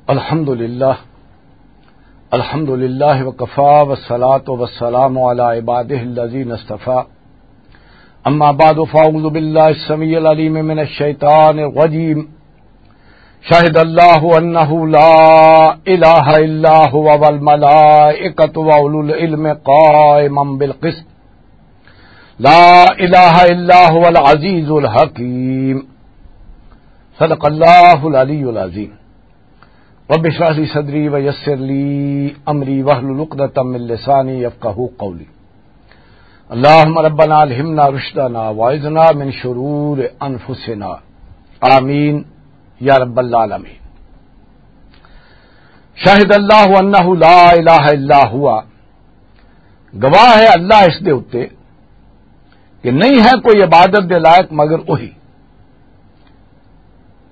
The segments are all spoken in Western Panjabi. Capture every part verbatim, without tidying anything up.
الحمد لله. الحمد لله وكفى، والصلاة والسلام على عباده الذين اصطفى. أما بعد، فأعوذ بالله السميع العليم من الشيطان الرجيم. شهد الله أنه لا إله إلا هو والملائكة وأولو العلم قائما بالقسط. لا إله إلا هو العزيز الحكيم. صدق الله العلي العظيم. رب اشرح لي صدري ويسر لي أمري واحلل عقدة من لساني يفقهوا قولي. اللهم ربنا ألهمنا رشدنا وأعذنا من شرور أنفسنا. آمين يا رب العالمين. شهد الله أنه لا إله إلا هو. گواہ ہے اللہ اس دے اُتے کہ نہیں ہے کوئی عبادت دے لائق مگر وہی۔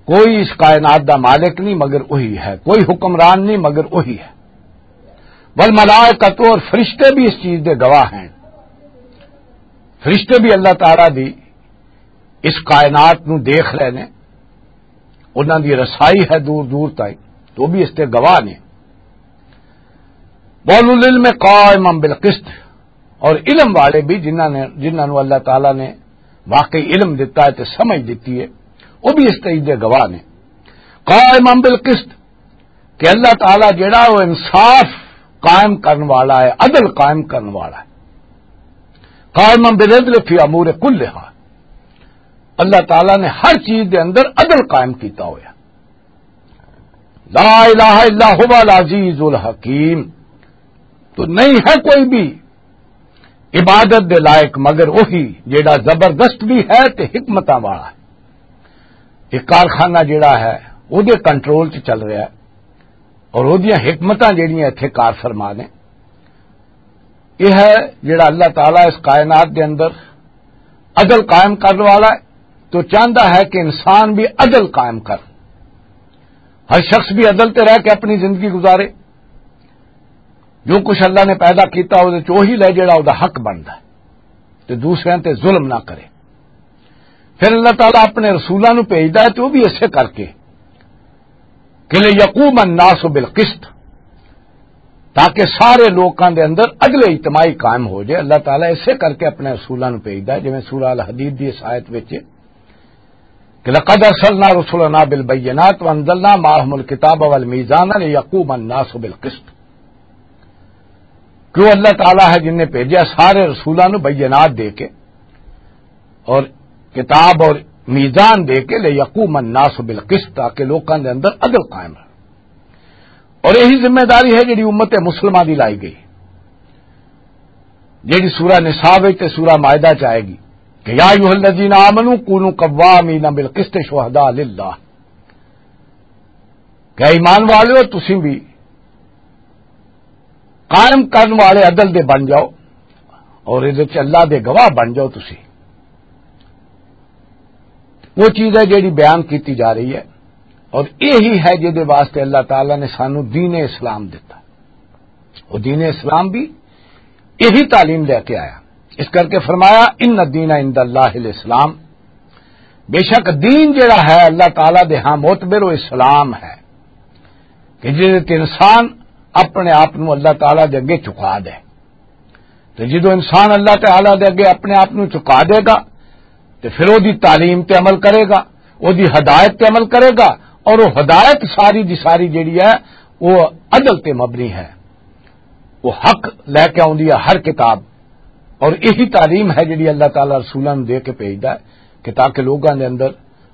کوئی اس کائنات دا مالک نہیں مگر وہی ہے، کوئی حکمران نہیں مگر وہی ہے۔ والملائکۃ، اور فرشتے بھی اس چیز دے گواہ ہیں۔ فرشتے بھی اللہ تعالیٰ دی اس کائنات نو دیکھ رہے نے، انہاں دی رسائی ہے دور دور تائیں، تو بھی اس تے گواہ نے۔ وَأُولُو الْعِلْمِ قَائِمًا بِالْقِسْطِ، اور علم والے بھی، جنہاں نے، جنہاں نو اللہ تعالیٰ نے واقعی علم دتا ہے تے سمجھ دتی ہے، وہ بھی اس چیز دے گواہ نے۔ قائمًا بالقسط، کہ اللہ تعالیٰ جڑا وہ انصاف قائم کرن والا ہے، عدل قائم کرن والا ہے۔ قائمًا بالعدل فی امور کلہا، اللہ تعالیٰ نے ہر چیز دے اندر عدل قائم کیتا ہویا۔ لا الہ الا هو العزیز الحکیم۔ تو نہیں ہے کوئی بھی عبادت دے لائق مگر وہی، جیڑا زبردست بھی ہے تے حکمتاں والا ہے۔ ایک کارخانہ جیڑا ہے، وہ دے کنٹرول چ چل رہا ہے، اور وہ دیاں حکمتاں جیڑیاں اتھے کار فرما نے۔ یہ ہے جیڑا اللہ تعالیٰ اس کائنات دے اندر عدل قائم کرنے والا ہے، تو چاہتا ہے کہ انسان بھی عدل قائم کر، ہر شخص بھی عدل تے رہ کے اپنی زندگی گزارے۔ جو کچھ اللہ نے پیدا کیتا، وہ چ وہی لے جڑا وہ حق بنتا ہے، تے دوسرے تے ظلم نہ کرے۔ پھر اللہ تعالیٰ اپنے رسولاں نو بھیجدا ہے، تے وہ بھی ایسے کر کے کہ لِيَقُومَ النَّاسُ بِالْقِسْطِ، تاکہ سارے لوکاں دے اندر عدل اجتماعی قائم ہو جائے۔ اللہ تعالیٰ ایسے کر کے اپنے رسولاں نو بھیجدا ہے، جویں سورہ الحدید دی اس آیت وچ کہ لَقَدْ أَرْسَلْنَا رُسُلَنَا بِالْبَيِّنَاتِ وَأَنزَلْنَا مَعَهُمُ الْكِتَابَ وَالْمِيزَانَ لِيَقُومَ النَّاسُ بِالْقِسْطِ۔ کہ وہ اللہ تعالیٰ ہے جن نے بھیجا سارے رسولاں نو بینات دے کے اور کتاب اور میزان دے کے، لِيَقُومَ النَّاسُ بِالْقِسْطِ، تاکہ لوکاں دے اندر عدل قائم رہے۔ اور یہی ذمہ داری ہے جڑی امت مسلمہ دی لائی گئی، جڑی سورہ نساء وچ تے سورہ مائدہ چ آئے گی کہ یا ایھا الذین آمنوا کونوا قوامین بالقسط شہداء للہ، کہ ایمان والو، تسی بھی قائم کرن والے عدل دے بن جاؤ اور ادھر چ اللہ دے گواہ بن جاؤ تسی۔ وہ چیز ہے جڑی بیان کیتی جا رہی ہے، اور یہی ہے جدے واسطے اللہ تعالیٰ نے سانو دین اسلام دیتا۔ وہ دین اسلام بھی یہی تعلیم لے کے آیا۔ اس کر کے فرمایا، ان الدین عند اللہ الاسلام، بے شک دین جڑا ہے اللہ تعالیٰ دے ہاں معتبر، وہ اسلام ہے، کہ جس انسان اپنے آپ نو اللہ تعالیٰ دے اگے چکا دے۔ تے جدوں انسان اللہ تعالیٰ دے اگے اپنے آپ نو چکا دے گا، تے پھر او دی تعلیم تے عمل کرے گا، او دی ہدایت تے عمل کرے گا، اور وہ ہدایت ساری دی ساری جڑی ہے، وہ عدل تے مبنی ہے۔ وہ حق لے کے آؤندی ہے ہر کتاب، اور یہی تعلیم ہے جڑی اللہ تعالیٰ رسولاں نوں دے کے بھیجدا ہے کہ تاکہ لوگاں دے اندر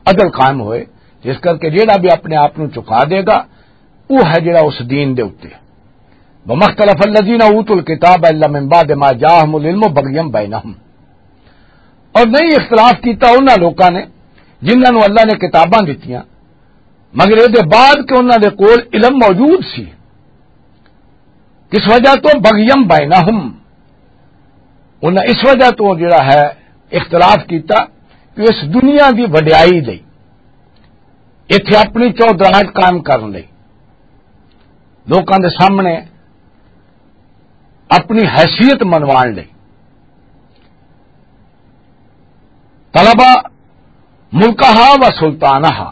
عدل قائم ہوئے۔ جس کر کے جڑا بھی اپنے آپ نوں چکا دے گا، وہ ہے جڑا اس دین دے اُتے۔ وما اختلف الذین اوتوا الکتاب الا من بعد ما جاءهم العلم بغیا بینہم، اور نہیں اختلاف کیتا انہاں لوکاں نے جنہاں نوں اللہ نے کتاباں دتیاں، مگر اے دے بعد کہ انہاں دے کول علم موجود سی۔ کس وجہ تو؟ بغیا بینہم، انہاں اس وجہ تو جڑا ہے اختلاف کیتا کہ اس دنیا دی وڈیائی لئی، ایتھے اپنی چودراہٹ قائم کرن لئی، لوکاں دے سامنے اپنی حیثیت منوان لئی، طلبا ملکہا و سلطانہا،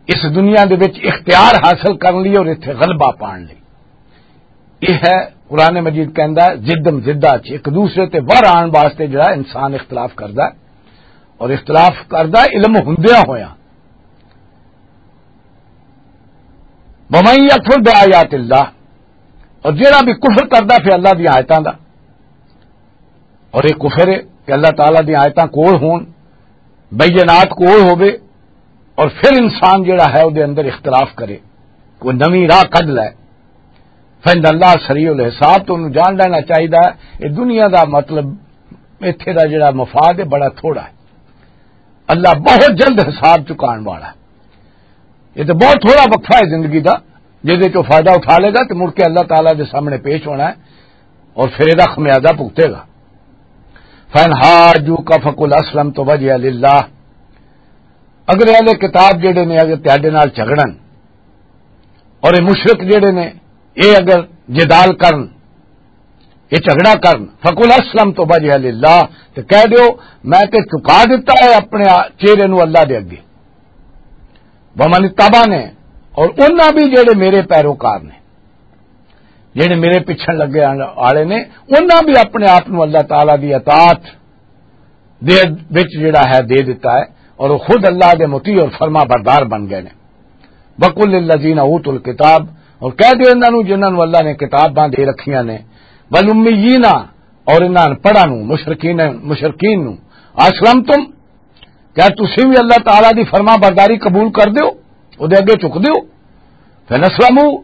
اس دنیا دے وچ اختیار حاصل کرن لئی اور اتھے غلبہ پان لئی۔ یہ ہے، قرآن مجید کہندا ہے، ضدم ضدہ چ ایک دوسرے تے ور آن واسطے جڑا انسان اختلاف کردا ہے، اور اختلاف کردا ہے علم ہوندیاں ہویا۔ وَمَن يَكْفُرْ بِآيَاتِ اللَّهِ، اور جڑا بھی کفر کردا پھر اللہ دی آیتاں دا، اور یہ کفر ہے کہ اللہ تعالیٰ دی آیتاں کول ہون، بینات کول ہووے، اور پھر انسان جڑا ہے، او دے اندر اختلاف کرے، کوئی نویں راہ کڈ لے، فَإِنَّ اللَّهَ سَرِيعُ الْحِسَابِ، تو انہوں جان لینا چاہیدا ہے، یہ دنیا دا مطلب، ایتھے دا جڑا مفاد ہے، بڑا تھوڑا ہے۔ اللہ بہت جلد حساب چکان والا ہے۔ یہ تو بہت تھوڑا وقفہ ہے زندگی دا، جس وچ وہ فائدہ اٹھا لے گا تو مڑ کے اللہ تعالیٰ دے سامنے پیش ہونا ہے اور پھر یہ خمیازہ بھگتے گا۔ فَإِنْ حَاجُّوكَ فَقُلْ أَسْلَمْتُ وَجْهِيَ لِلَّهِ۔ اگر اہل کتاب جڑے نے، اگر تہاڈے نال جھگڑن، اور یہ مشرک جڑے نے، یہ اگر جدال کرن، یہ جھگڑا کرن، فَقُلْ أَسْلَمْتُ وَجْهِيَ لِلَّهِ، تو کہہ دیو، میں تے چکا دیتا ہے اپنے آ-، چہرے نو اللہ دے اگے۔ وَمَنِ اتَّبَعَنِي، اور انہاں بھی جڑے میرے پیروکار نے، جڑے میرے پچھن لگے آن-، آلے نے، انہاں بھی اپنے آپ نو اللہ تعالیٰ دی اطاعت دے وچ جڑا ہے دے دیتا ہے، اور وہ خود اللہ دے مطیع اور فرما بردار بن گئے نے۔ وَقُلْ لِلَّذِينَ أُوتُوا الْكِتَابَ، اور کہہ دیو انہاں نو جنہاں نو اللہ نے کتاباں دے رکھیاں نے، وَالْأُمِّيِّينَ، اور انہاں ان پڑھاں نو، مشرکین، مشرکین نو، اسلمتم، کیا تسی بھی اللہ تعالیٰ دی فرما برداری قبول کر دیو، او دے اگے چک دیو؟ فَإِنْ أَسْلَمُوا،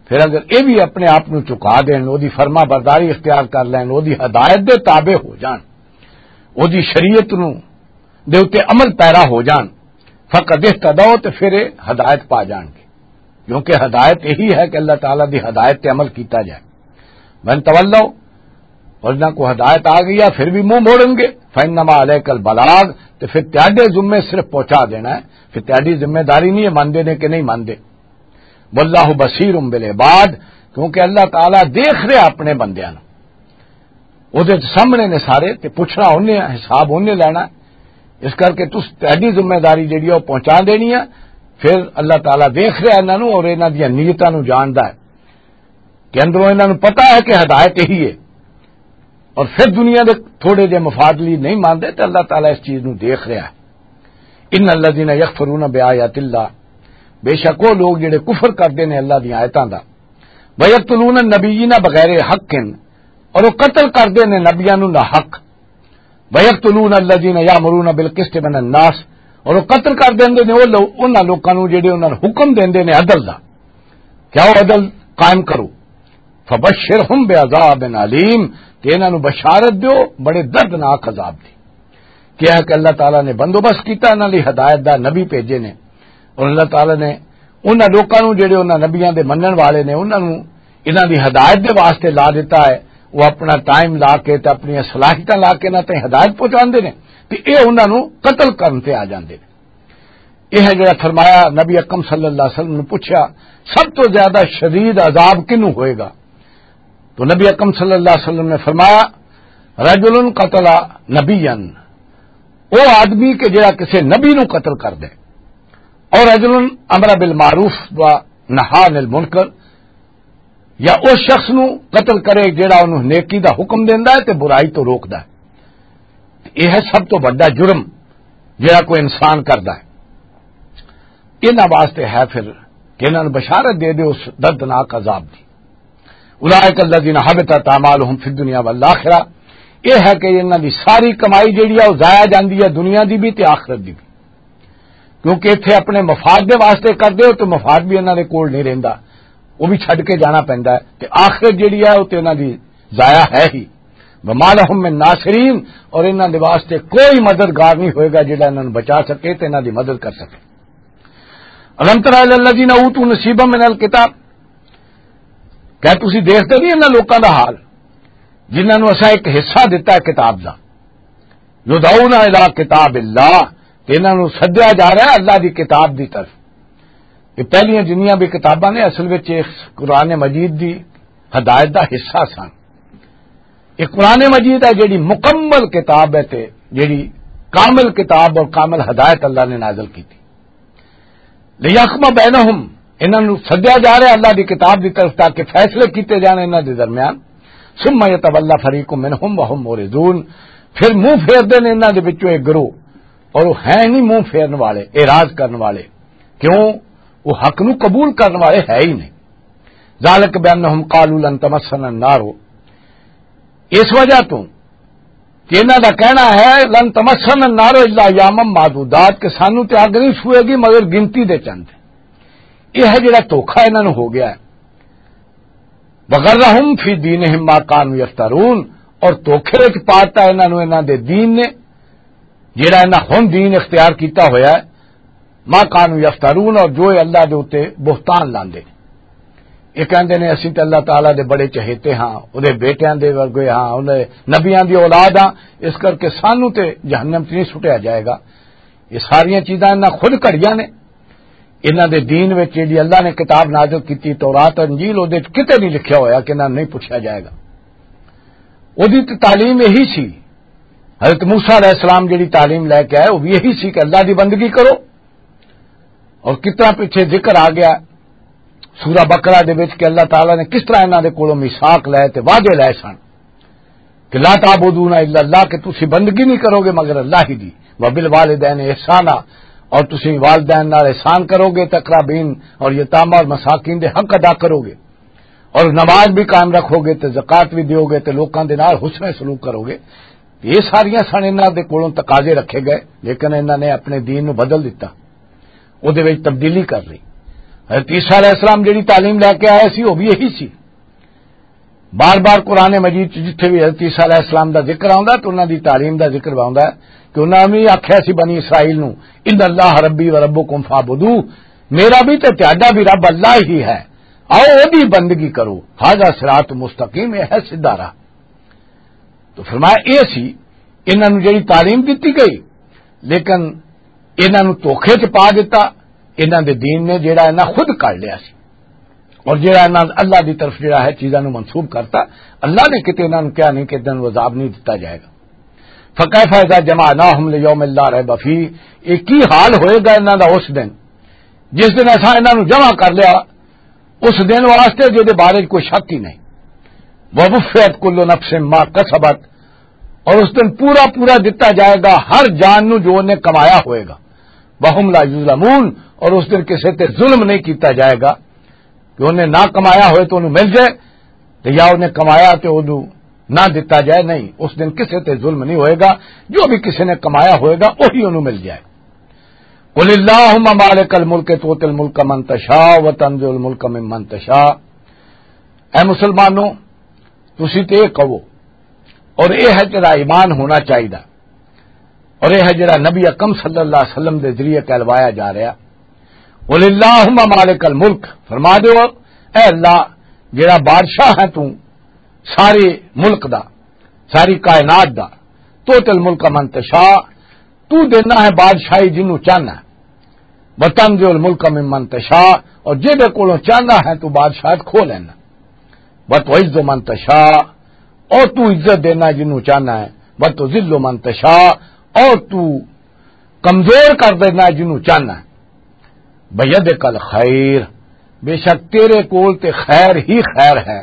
پھر اگر یہ بھی اپنے آپ نو چکا دین، او دی فرما برداری اختیار کر لین، او دی ہدایت دے تابع ہو جان، او دی شریعت نو دے اُتے عمل پیرا ہو جان، فَقَدِ اهْتَدَوْا، تے پھر یہ ہدایت پا جان گے، کیونکہ ہدایت یہی ہے کہ اللہ تعالیٰ دی ہدایت تے عمل کیتا جائے۔ وَإِنْ تَوَلَّوْا، اور جنہاں کو ہدایت آ گئی ہے پھر بھی منہ موڑن گے، فَإِنَّمَا عَلَيْكَ الْبَلَاغُ، تے پھر تیاڈے ذمے صرف پہنچا دینا ہے، پھر تیاڈی ذمہ داری نہیں ہے ماندے نے کہ نہیں ماندے۔ وَاللَّهُ بَصِيرٌ بِالْعِبَادِ، کیونکہ اللہ تعالیٰ دیکھ رہا اپنے بندیاں نوں، او دے سامنے نے سارے، تے پوچھنا انہیں، حساب انہیں لینا۔ اس کر کے تس تیاڈی ذمہ داری جڑی ہے وہ پہنچا دینی ہے۔ پھر اللہ تعالیٰ دیکھ رہا انہاں نوں اور انہاں دیاں نیتاں نوں جاندا ہے کہ اندروں انہاں نوں پتہ ہے کہ ہدایت یہی ہے، اور پھر دنیا دے تھوڑے جے مفاد لئی نہیں مانتے، تے اللہ تعالیٰ اس چیز نوں دیکھ رہا ہے۔ ان الذین یکفرون بآیات اللہ، بے شک وہ لوگ جڑے کفر کردے نے اللہ دی آیتاں دا، ویقتلون النبیین بغیر حق، اور وہ قتل کردے نے نبیاں نوں نہ حق، ویقتلون الذین یامرون بالقسط من الناس، اور وہ قتل کر دیندے نے وہ لو-، انہاں لوکاں نوں جڑے انہاں نوں حکم دیندے نے عدل دا، کیا وہ عدل قائم کرو۔ فبشرہم بعذاب علیم، تے انہاں نوں بشارت دیو بڑے دردناک عذاب دی۔ کیا ہے کہ اللہ تعالیٰ نے بندوبست کیتا انہاں لئی ہدایت دا، نبی بھیجے نے، اور اللہ تعالیٰ نے انہاں لوکاں نوں جڑے انہاں نبیاں دے منن والے نے، انہاں نوں انہاں دی ہدایت دے واسطے لا دیتا ہے۔ وہ اپنا ٹائم لا کے تے اپنی صلاحیتاں لا کے انہاں تائیں ہدایت پہنچاندے نے، تے اے انہاں نوں قتل کرن تے آ جاندے نے۔ یہ ہے جڑا فرمایا، نبی اکرم صلی اللہ علیہ وسلم نے پوچھا، سب تو زیادہ شدید عذاب کنوں ہوئے گا؟ تو نبی اکرم صلی اللہ علیہ وسلم نے فرمایا، رجل قتل نبیا، وہ آدمی کہ جڑا کسی نبی نو قتل کر دے، اور رجل امر بالمعروف و نہا عن المنکر، یا اس شخص نو قتل کرے جڑا انہوں نیکی دا حکم دیندا ہے تے برائی تو روکدا ہے۔ یہ ہے سب تو بڑا جرم جڑا کوئی انسان کردا ہے۔ انہاں واسطے ہے پھر کہ انہاں نوں بشارت دے دے اس دردناک عذاب دی۔ اولئک الذین حبطت اعمالہم فی الدنیا والآخرہ، یہ ہے کہ انہاں دی ساری کمائی جڑی ہے وہ ضائع جاندی ہے، دنیا دی بھی تے آخرت دی بھی۔ کیونکہ اتھے اپنے مفاد دے واسطے کردے ہو تو مفاد بھی انہاں دے کول نہیں رہندا، وہ بھی چھڈ کے جانا پیندا ہے۔ تے آخرت جڑی ہے وہ تے انہاں دی ضائع ہے ہی۔ وما لہم من ناصرین، اور انہاں دے واسطے کوئی مددگار نہیں ہوئے گا جڑا انہاں نوں بچا سکے تے انہاں دی مدد کر سکے۔ الم تر الی الذین اوتوا نصیبا من الکتاب، کیا تسی دیکھتے نہیں انہاں لوکاں دا حال جنہاں نوں اساں ایک حصہ دتا ہے کتاب دا؟ یدعون الی کتاب اللہ، تے انہاں نوں سدیا جا رہا ہے اللہ دی کتاب دی طرف۔ یہ پہلیاں جنیاں بھی کتاباں نے اصل وچ اس قرآن مجید دی ہدایت دا حصہ سن۔ یہ قرآن مجید ہے جڑی مکمل کتاب ہے تے جڑی کامل کتاب اور کامل ہدایت اللہ نے نازل کی تھی۔ لیحکم بینہم، انہاں نوں سدیا جا رہا ہے اللہ دی کتاب دی طرف تاکہ فیصلے کیتے جان انہاں دے درمیان۔ ثم یتولی فریق منہم وہم معرضون، پھر منہ پھیر دے نے انہاں دے وچوں ایک گروہ، اور وہ ہے نہیں منہ پھیرن والے، اعراض کرن والے۔ کیوں؟ وہ حق نو قبول کرن والے ہے ہی نہیں۔ ذالک بانہم قالوا لن تمسنا النار، اس وجہ تو کہ انہاں دا کہنا ہے، "لن تمسنا النار الا ایاما معدودات"، کہ سانو تے اگ نہیں چھوئے گی مگر گنتی دے چند۔ یہ ہے جڑا دھوکا انہاں نو ہو گیا ہے۔ "وغرہم فی دینہم ما کانوا یفترون"، اور دھوکے وچ پاتا انہاں نو انہاں دے دین نے، جڑا انہاں ہن دین اختیار کیتا ہویا ہے، ما کانوا یفترون، اور جو اے اللہ دے اُتے بہتان لاندے۔ یہ کہندے نے، "اسی تے اللہ تعالیٰ دے بڑے چہیتے ہاں، اودے بیٹیاں دے ورگے ہاں، اودے نبیاں دی اولاد ہاں، اس کر کے سانو تے جہنم چ نہیں سٹیا جائے گا۔" یہ ساریاں چیزاں انہاں خود کھڑیاں نے۔ انہاں دے دین وچ جیڑی اللہ نے کتاب نازل کیتی، تورات، انجیل، اودے وچ کتے نہیں لکھیا ہویا کہ انہاں نہیں پوچھا جائے گا۔ اودی تے تعلیم یہی سی، حضرت موسیٰ علیہ السلام جیڑی تعلیم لے کے آئے، وہ بھی یہی سی کہ اللہ دی بندگی کرو۔ اور کتنا پیچھے ذکر آ گیا سورہ بقرہ دے وچ کہ اللہ تعالیٰ نے کس طرح انہاں دے کولوں میثاق لے تے وعدے لے سن کہ "لا تعبدون الا اللہ"، کہ تسی بندگی نہیں کرو گے مگر اللہ ہی دی، "وبالوالدین احسانا"، اور تسی والدین نال احسان کرو گے، تقربین اور یتامہ اور مساکین دے حق ادا کرو گے، اور نماز بھی قائم رکھو گے، تے زکوٰۃ بھی دیو گے، تے لوکاں دے نال حسن سلوک کرو گے۔ یہ ساریاں سن انہاں دے کولوں تقاضے رکھے گئے، لیکن انہاں نے اپنے دین نو بدل دتا، اودے وچ تبدیلی کر لئی۔ حضرت عیسیٰ علیہ السلام جڑی تعلیم لے کے آئے سی، وہ بھی یہی سی۔ بار بار قرآن مجید چ جتھے بھی حضرت عیسیٰ علیہ السلام دا ذکر آوندا ہے، تو انہاں دی تعلیم دا ذکر آوندا ہے کہ انہاں نے آکھیا سی بنی اسرائیل نو، "ان اللہ ربی و ربکم فاعبدوہ"، میرا بھی تے تہاڈا بھی رب اللہ ہی ہے، آؤ اودی بندگی کرو، ھذا صراط مستقیم، یہ ہے سیدھا راہ۔ تو فرمایا، یہ سی، انہاں نوں جڑی تعلیم دتی گئی، لیکن انہاں نوں دھوکے چ پا دتا، انہاں دے دین نے جڑا انہاں خود کر لیا سی، اور جڑا انہاں اللہ دی طرف جڑا ہے چیزاں نوں منسوب کرتا، اللہ نے کتے انہاں نوں کہا نہیں کہ انہاں نوں عذاب نہیں دتا جائے گا۔ فکیف اذا جمعناہم لیوم لا ریب فیہ، یہ کی حال ہوئے گا انہاں دا اس دن جس دن اساں انہاں نوں جمع کر لیا، اس دن واسطے جہدے بارے کوئی شک ہی نہیں۔ ووفیت کل نفس ما کسبت، اور اس دن پورا پورا دتا جائے گا ہر جان نو جو انہیں کمایا ہوئے گا۔ وہم لا یظلمون، اور اس دن کسے تے ظلم نہیں کیتا جائے گا کہ انہیں نہ کمایا ہوئے تو انہوں مل جائے، تے یا انہیں کمایا تے انہوں نہ دتا جائے۔ نہیں، اس دن کسے تے ظلم نہیں ہوئے گا، جو بھی کسے نے کمایا ہوئے گا وہی انہوں مل جائے۔ قل اللہم مالک الملک تؤتی الملک من تشاء وتنزع الملک ممن تشاء۔ اے مسلمانوں، تسی تے یہ کہو، اور یہ ہے جڑا ایمان ہونا چاہیدا، اور یہ ہے جڑا نبی اکرم صلی اللہ علیہ وسلم دے ذریعے کہلوایا جا رہا۔ قل اللہم مالک الملک، فرما دیو، اے اللہ، جڑا بادشاہ ہے تو سارے ملک دا، ساری کائنات دا، تؤتی الملک من تشاء، تو دینا ہے بادشاہی جنوں چاہنا ہے، وتنزع الملک ممن تشاء، اور جہدے کولوں چاہنا ہے تو بادشاہت کھو لینا، وتعز من تشاء، اور تو عزت دینا جنوں چاہنا ہے، وتذل من تشاء، اور تو کمزور کر دینا جنوں چاہنا ہے۔ بیدک الخیر، بے شک تیرے کول تے خیر ہی خیر ہے۔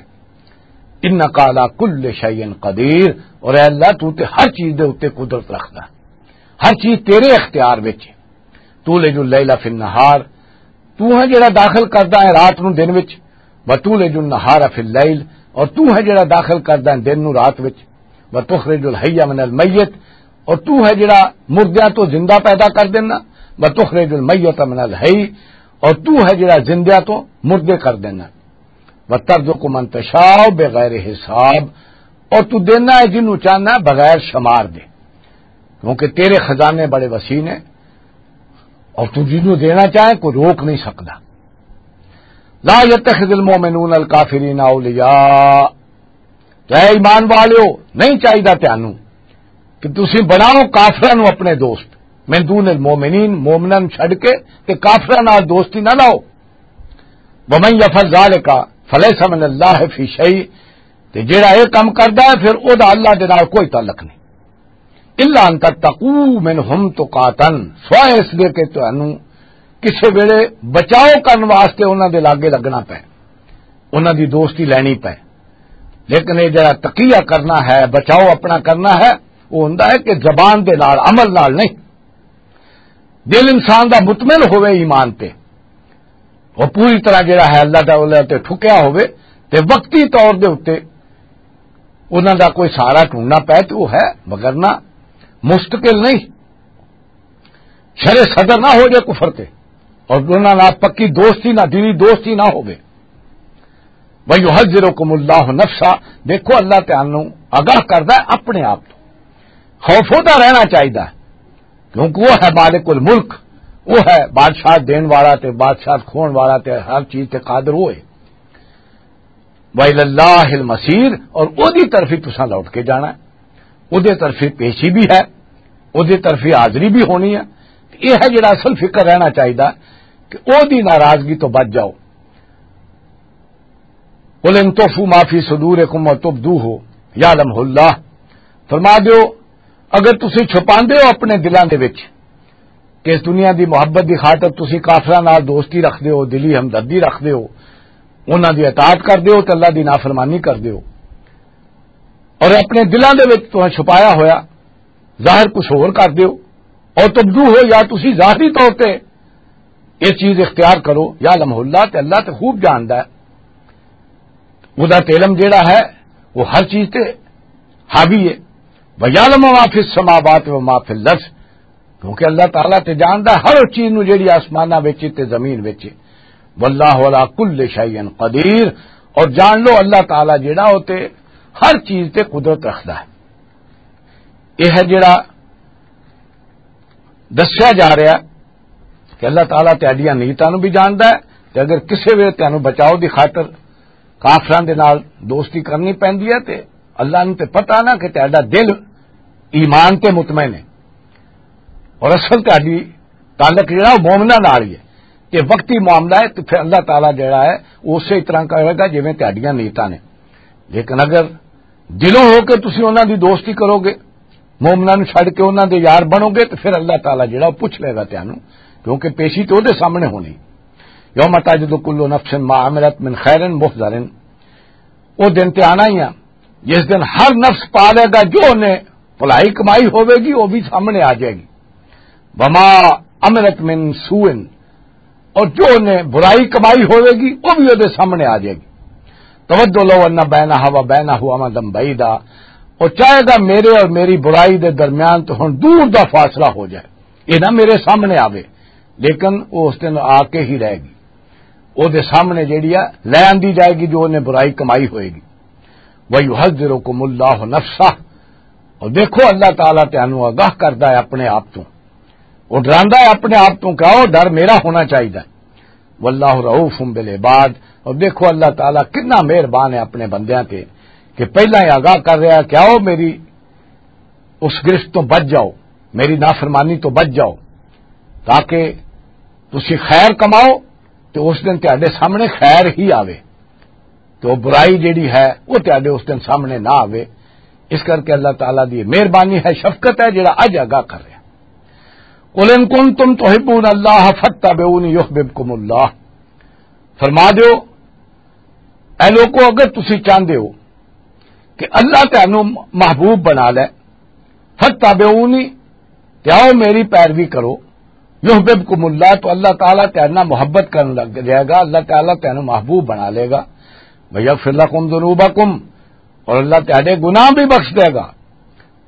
انک علی کل شیء قدیر، اور اے اللہ، تو تے ہر چیز دے اُتے قدرت رکھدا، ہر چیز تیرے اختیار وچ ہے۔ تولج اللیل فی النہار، تو ہے جڑا داخل کردا ہے رات نو دن وچ، وتولج النہار فی اللیل، اور تو ہے جڑا داخل کردا ہے دن نو رات وچ، وتخرج الحی من المیت، اور تو ہے جڑا مردیاں تو زندہ پیدا کر دینا، وتخرج المیت من الحی، اور تو ہے جڑا زندیاں تو مردے کر دینا، وترزق من تشاء بغیر حساب، اور تو دینا ہے جنوں چاہنا ہے بغیر شمار دے، کیونکہ تیرے خزانے بڑے وسیع نے، اور تو جنوں دینا چاہے کوئی روک نہیں سکتا۔ لا يتخذ المؤمنون الكافرين أولياء، تو اے ایمان والیو، نہیں چاہیدا تانوں کہ تسی بناؤ کافراں نوں اپنے دوست، من دون المؤمنین، مومناں نوں چھڈ کے تے کافراں نال دوستی نہ لاؤ۔ ومن يفعل ذلك فليس من الله في شيء، تے جیڑا اے کم کردا ہے پھر او دا اللہ دے نال کوئی تعلق نہیں۔ الا ان تتقوا منهم تقاتا، سوائے اس دے کہ تانوں کسے ویلے بچاؤ کرن واسطے انہاں دے لاگے لگنا پے، انہاں دی دوستی لینی پے۔ لیکن یہ جڑا تقیہ کرنا ہے، بچاؤ اپنا کرنا ہے، وہ ہوندا ہے کہ زبان دے نال، عمل نال نہیں۔ دل انسان دا مطمئن ہوئے ایمان تے، وہ پوری طرح جڑا ہے اللہ تعالیٰ تے ٹھکیا ہوئے، تے وقتی طور دے اُتے انہاں دا کوئی سہارا ڈھونڈنا پے تو وہ ہے، مگر نہ مستقل نہیں۔ شرع صدر نہ ہو جائے کفر تے، اور انہاں نال پکی دوستی نہ، دینی دوستی نہ ہوئے۔ وَيُحَذِّرُكُمُ اللَّهُ نَفْسَهُ، دیکھو اللہ تعالیٰ نو آگاہ کردا ہے اپنے آپ تو۔ خوف ہوتا رہنا چاہیدا ہے، کیونکہ وہ ہے مالک الملک، وہ ہے بادشاہ دین والا تے بادشاہ کھون والا تے ہر چیز تے قادر ہوئے۔ وَإِلَى اللَّهِ الْمَصِيرُ، اور اودی طرف ہی تساں لوٹ کے جانا ہے، اودے طرف ہی پیشی بھی ہے، اودے طرف ہی حاضری بھی ہونی ہے۔ یہ ہے جڑا اصل فکر رہنا چاہیدا کہ اودی ناراضگی تو بچ جاؤ۔ قل ان تخفوا ما فی صدورکم و تبدوہ یعلمہ اللہ۔ فرما دیو، اگر تسی چھپاندے ہو اپنے دلاں دے وچ کہ اس دنیا دی محبت دی خاطر تسی کافراں نال دوستی رکھدے ہو، دلی ہمدردی رکھدے ہو، انہاں دی اطاعت کردے ہو تے اللہ دی نافرمانی کردے ہو، اور اپنے دلاں دے وچ تساں چھپایا ہویا ظاہر کچھ ہور کردے ہو، اور تبدو ہو یا تسی ظاہری طور تے یہ چیز اختیار کرو، یعلمہ اللہ، تے اللہ تے خوب جاندا ہے۔ وہ دا علم جیڑا ہے، وہ ہر چیز تے حاوی ہے۔ وَيَعْلَمُ مَا فِي السَّمَاوَاتِ وَمَا فِي الْأَرْضِ، کیونکہ اللہ تعالیٰ تے جاندا ہے ہر اس چیز نو جیڑی آسماناں وچ تے زمین وچ۔ وَاللَّهُ عَلَى كُلِّ شَيْءٍ قَدِيرٌ، اور جان لو اللہ تعالیٰ جیڑا ہو تے ہر چیز تے قدرت رکھدا ہے۔ یہ ہے جیڑا دسیا جا رہا ہے کہ اللہ تعالیٰ تہاڈیاں نیتاں نوں بھی جاندا ہے، تے اگر کسے ویلے تہانوں بچاؤ دی خاطر کافراں دے نال دوستی کرنی پیندی ہے، تے اللہ نوں تے پتہ نا کہ تہاڈا دل ایمان تے مطمئن ہے، اور اصل تہاڈی تعلق جڑا وہ مومناں نال ہی ہے۔ تے وقتی معاملہ ہے، تے پھر اللہ تعالیٰ جڑا ہے، وہ اسی طرح کرے گا جویں تہاڈیاں نیتاں نے۔ لیکن اگر دلوں ہو کے تسی انہاں دی دوستی کرو گے، مومناں نوں چھڈ کے انہاں دے یار بنو گے، تے پھر اللہ تعالیٰ جڑا وہ پوچھ لے گا تانوں، کیونکہ پیشی تے اودے سامنے ہونی۔ یوم تجد کل نفس ما عملت من خیر محضر، وہ دن تے آنا ہی آ جس دن ہر نفس پا لے گا جو انہیں بھلائی کمائی ہوے گی، وہ بھی سامنے آ جائے گی۔ وما عملت من سوء، اور جو انہیں برائی کمائی ہوے گی، وہ بھی وہ سامنے آ جائے گی۔ تود لو ان بینہا و بینہ امدا بعیدا، اور چاہے گا میرے اور میری برائی دے درمیان تو ہن دور دا فاصلہ ہو جائے، یہ نہ میرے سامنے آوے، لیکن وہ اس دن آ کے ہی رہے گی۔ وہ دے سامنے جیڑی ہے لے آندی جائے گی جو انہیں برائی کمائی ہوئے گی۔ وَيُحَذِّرُكُمُ اللَّهُ نَفْسَهُ، اور دیکھو اللہ تعالیٰ تانوں آگاہ کردا ہے اپنے آپ تو، وہ ڈراندا ہے اپنے آپ تو کہ آؤ ڈر میرا ہونا چاہیے۔ وَاللَّهُ رَءُوفٌ بِالْعِبَادِ، اور دیکھو اللہ تعالیٰ کتنا مہربان ہے اپنے بندیاں تے کہ پہلا ہی آگاہ کر رہا ہے کہ آؤ میری اس گرفت تو بچ جاؤ، میری نافرمانی تو بچ جاؤ، تاکہ تسی خیر کماؤ تے اس دن تہاڈے سامنے خیر ہی آوے، تے وہ برائی جیڑی ہے وہ تہاڈے اس دن سامنے نہ آوے۔ اس کر کے اللہ تعالیٰ دی مہربانی ہے، شفقت ہے، جڑا اج آگاہ کر رہا۔ قل ان کنتم تحبون اللہ فاتبعونی یحببکم اللہ۔ فرما دیو، اے لوکو، اگر تسی چاہندے ہو کہ اللہ تانوں محبوب بنا لے، فاتبعونی، تے آؤ میری پیروی کرو، یحببکم اللہ، تو اللہ تعالیٰ تیرے نال محبت کرن لگ جائے گا، اللہ تعالیٰ تینوں محبوب بنا لے گا۔ ویغفر لکم ذنوبکم، اور اللہ تیرے گناہ بھی بخش دے گا۔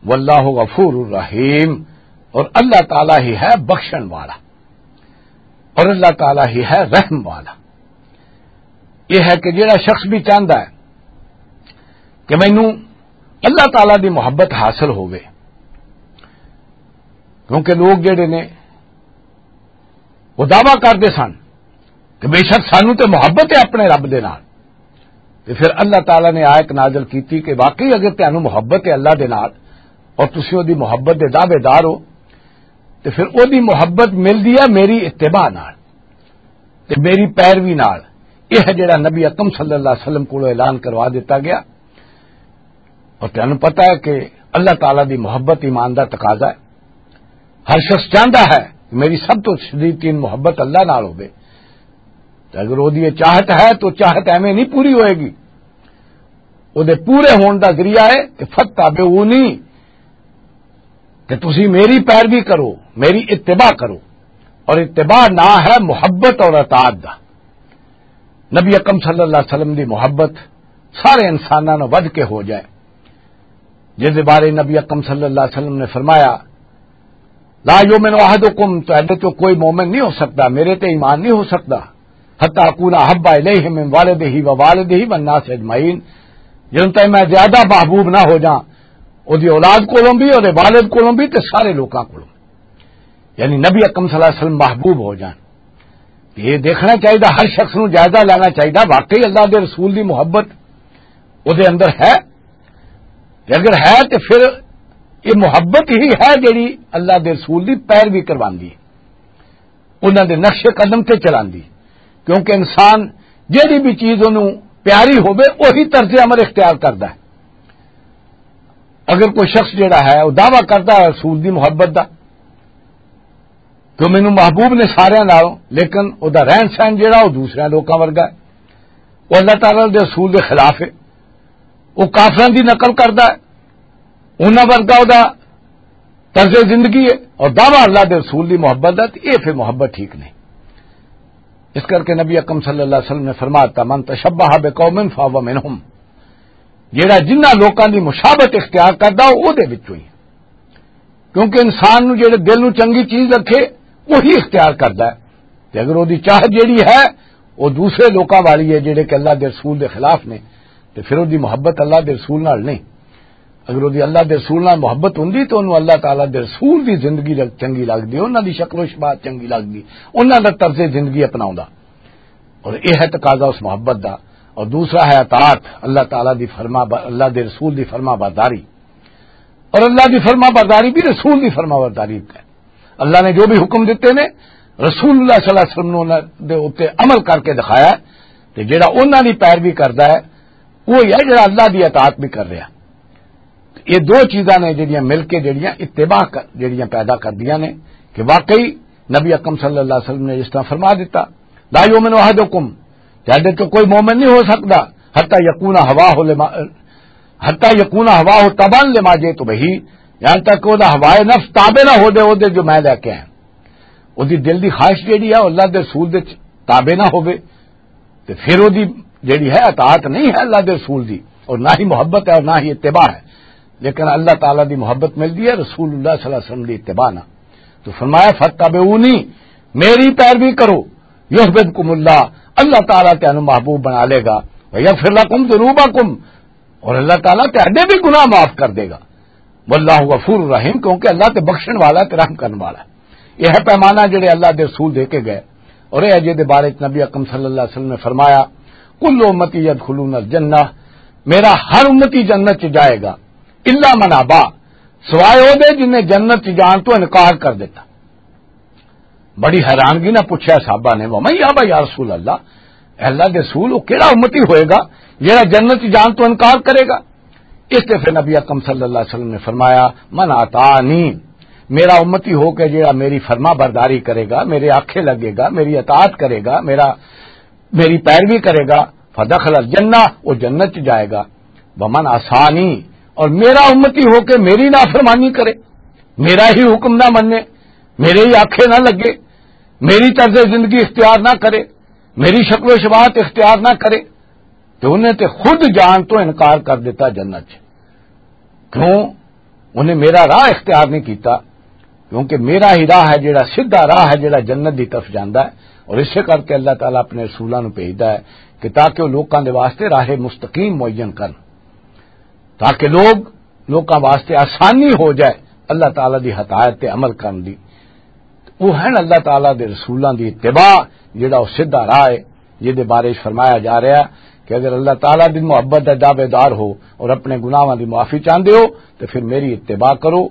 واللہ غفور الرحیم، اور اللہ تعالیٰ ہی ہے بخشن والا، اور اللہ تعالیٰ ہی ہے رحم والا۔ یہ ہے کہ جڑا شخص بھی چاہتا ہے کہ مینوں اللہ تعالیٰ دی محبت حاصل ہووے، کیونکہ لوگ جڑے نے وہ دعویٰ کردے سن کہ بے شک سانوں تے محبت ہے اپنے رب دے نال، تے پھر اللہ تعالیٰ نے آیت نازل کیتی کہ واقعی اگر تانوں محبت ہے اللہ دے نال اور تسی او دی محبت دے دعوے دار ہو، تے پھر او دی محبت ملدی ہے میری اتباع نال تے میری پیروی نال۔ یہ ہے جڑا نبی اکرم صلی اللہ علیہ وسلم کولوں اعلان کروا دیتا گیا۔ اور تانوں پتہ ہے کہ اللہ تعالیٰ دی محبت ایمان دا تقاضا ہے۔ ہر شخص چاہتا ہے میری سب تو شدید ترین محبت اللہ نال ہوے، تے اگر وہ دی یہ چاہت ہے تو چاہت ایویں نہیں پوری ہوئے گی۔ وہ دے پورے ہون دا ذریعہ ہے کہ فتح بے اونی، کہ تسی میری پیروی کرو، میری اتباع کرو۔ اور اتباع نہ ہے محبت اور اطاعت دا۔ نبی اکرم صلی اللہ علیہ وسلم دی محبت سارے انساناں نوں ودھ کے ہو جائے، جس دے بارے نبی اکرم صلی اللہ علیہ وسلم نے فرمایا، لا یؤمن احدکم، تہاڈے چوں کوئی مومن نہیں ہو سکدا، میرے تے ایمان نہیں ہو سکدا، حتی اکون احب الیہ من والدہ و والدہ والناس اجمعین، جن تائیں میں زیادہ محبوب نہ ہو جاں، او دی اولاد کولوں بھی، او دے والد کولوں بھی، تے سارے لوکاں کولوں۔ یعنی نبی اکرم صلی اللہ علیہ وسلم محبوب ہو جان۔ یہ دیکھنا چاہیے، ہر شخص نوں جائزہ لینا چاہیے، واقعی اللہ دے رسول دی محبت او دے اندر ہے؟ تے اگر ہے تے پھر یہ محبت ہی ہے جڑی اللہ دے رسول دی پیروی کرواندی، انہاں دے نقش قدم تے چلاندی۔ کیونکہ انسان جڑی بھی چیز انہوں پیاری ہوے، وہی طرز عمل اختیار کردا ہے۔ اگر کوئی شخص جڑا ہے وہ دعویٰ کردا ہے رسول دی محبت دا، کہ مینوں محبوب نے سارے نالوں، لیکن او دا رہن سہن جڑا، او دوسرے لوکاں ورگا ہے۔ او اللہ تعالیٰ دے رسول دے خلاف ہے۔ او کافراں دی نقل کردا ہے، انہاں ورگا او دا طرز زندگی ہے، اور دعویٰ اللہ دے رسول دی محبت دا، تے اے پھر محبت ٹھیک نہیں۔ اس کر کے نبی اکرم صلی اللہ علیہ وسلم نے فرمایا، من تشبہ بقوم فہو منہم، جیڑا جنہاں لوکاں دی مشابت اختیار کردا، او دے وچوں ہی۔ کیونکہ انسان نوں جیڑے دل نوں چنگی چیز رکھے، وہی اختیار کردا ہے۔ تے اگر او دی چاہت جیڑی ہے، او دوسرے لوکاں والی ہے، جیڑے کہ اللہ دے رسول دے خلاف نے، تے پھر او دی محبت اللہ دے رسول نال نہیں۔ اگر او دی اللہ دے رسول نال محبت ہوندی، تو انہوں اللہ تعالیٰ دے رسول دی زندگی لگ-، چنگی لگدی، انہاں دی شکل و شباہت چنگی لگدی، انہاں دا طرز زندگی اپناوندا۔ اور یہ ہے تقاضا اس محبت دا۔ اور دوسرا ہے اطاعت، اللہ تعالیٰ دی فرما ب-، اللہ دے رسول دی فرما برداری۔ اور اللہ دی فرما برداری بھی رسول دی فرما برداری ہے۔ اللہ نے جو بھی حکم دیتے نے، رسول اللہ صلی اللہ علیہ وسلم نے انہاں دے اُتے عمل کر کے دکھایا۔ تے جڑا انہاں دی پیروی کردا ہے، وہ ہے جڑا اللہ دی اطاعت بھی کر رہا۔ یہ دو چیزاں نے جڑیاں مل کے جڑیاں اتباع کر-، جڑیاں پیدا کردیاں نے کہ واقعی نبی اکرم صلی اللہ علیہ وسلم نے اس طرح فرما دیتا، لا یؤمن احدکم، تہاڈے تو کوئی مومن نہیں ہو سکتا، حتی یکون ہواہ لما، حتی یکون ہواہ تبعا لما جئت بہ، یہاں تک کہ وہ ہوائے نفس تابع نہ ہو دے، وہ دے جو میں لے کے آیا۔ وہ دی دل دی خواہش جڑی ہے، وہ اللہ دے رسول دے تابع نہ ہوے۔ تے پھر وہ دی جڑی ہے اطاعت نہیں ہے اللہ دے رسول دی، اور نہ ہی محبت ہے اور نہ ہی اتباع ہے۔ لیکن اللہ تعالیٰ دی محبت ملدی ہے رسول اللہ صلی اللہ علیہ وسلم دی اتباع نہ۔ تو فرمایا، "فتبعونی"، میری پیروی کرو، "یحببکم اللہ"، اللہ تعالیٰ تینوں محبوب بنا لے گا، "ویغفر لکم ذنوبکم"، اور اللہ تعالیٰ تہاڈے بھی گناہ معاف کر دے گا۔ واللہ غفور رحیم، کیونکہ اللہ تے بخشن والا تے رحم کرن والا ہے۔ یہ ہے پیمانہ جڑے اللہ دے رسول دے کے گئے۔ اور یہ جے دے بارے چ نبی اکرم صلی اللہ علیہ وسلم نے فرمایا، "کل امتی یدخلون الجنہ"، میرا ہر امتی جنت چ جائے گا، "الا من ابا"، سوائے او دے جن نے جنت چ جان تو انکار کر دیتا۔ بڑی حیرانگی نہ پوچھا صحابہ نے، "ومن یابا یا رسول اللہ"، اے اللہ دے رسول، وہ کیڑا امتی ہوئے گا جڑا جنت چ جان تو انکار کرے گا؟ اس تے پھر نبی اکرم صلی اللہ علیہ وسلم نے فرمایا، "من اطاعنی"، میرا امتی ہو کے جڑا میری فرما برداری کرے گا، میرے آکھے لگے گا، میری اطاعت کرے گا، میرا، میری پیروی کرے گا، "فدخل الجنہ"، وہ جنت چ جائے گا۔ "ومن عصانی"، اور میرا امتی ہو کے میری نافرمانی کرے، میرا ہی حکم نہ منے، میرے ہی آکھے نہ لگے، میری طرز زندگی اختیار نہ کرے، میری شکل و شباہت اختیار نہ کرے، تو انہیں تے خود جان تو انکار کر دیتا جنت چ۔ کیوں؟ انہیں میرا راہ اختیار نہیں کیتا، کیونکہ میرا ہی راہ ہے جڑا سیدھا راہ ہے، جڑا جنت دی طرف جاندا ہے۔ اور اسے کر کے اللہ تعالیٰ اپنے رسولاں نوں بھیجدا ہے کہ تاکہ وہ لوکاں دے واسطے راہ مستقیم معین کرن، تاکہ لوگ، لوکاں واسطے آسانی ہو جائے اللہ تعالیٰ دی ہدایت تے عمل کرن دی۔ وہ ہیں اللہ تعالیٰ دے رسولاں دی اتباع، جڑا وہ سیدھا راہ ہے، جس دے بارے وچ فرمایا جا رہا ہے کہ اگر اللہ تعالیٰ دی محبت دا دعوے دار ہو اور اپنے گناہاں دی معافی چاہندے ہو، تو پھر میری اتباع کرو،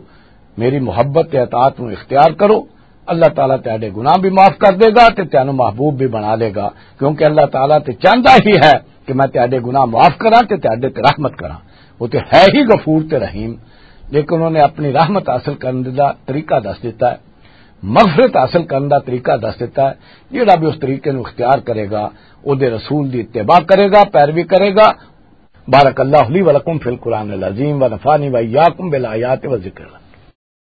میری محبت تے اطاعت نو اختیار کرو۔ اللہ تعالیٰ تہاڈے گناہ بھی معاف کر دے گا تے تینوں محبوب بھی بنا لے گا، کیونکہ اللہ تعالیٰ تے چاہندا ہی ہے کہ میں تہاڈے گناہ معاف کراں تے تہاڈے تے رحمت کراں۔ وہ تے ہے ہی غفور تے رحیم، لیکن انہوں نے اپنی رحمت حاصل کرنے دا طریقہ دس دیتا ہے۔ مغفرت حاصل کرنے کا طریقہ دس دیتا ہے۔ جہڑا بھی اس طریقے نو اختیار کرے گا، او دے رسول دی اتباع کرے گا، پیروی کرے گا۔ بارک اللہ لی ولکم فی القرآن العظیم و نفعنی و ایاکم بالآیات و ذکر الحکیم۔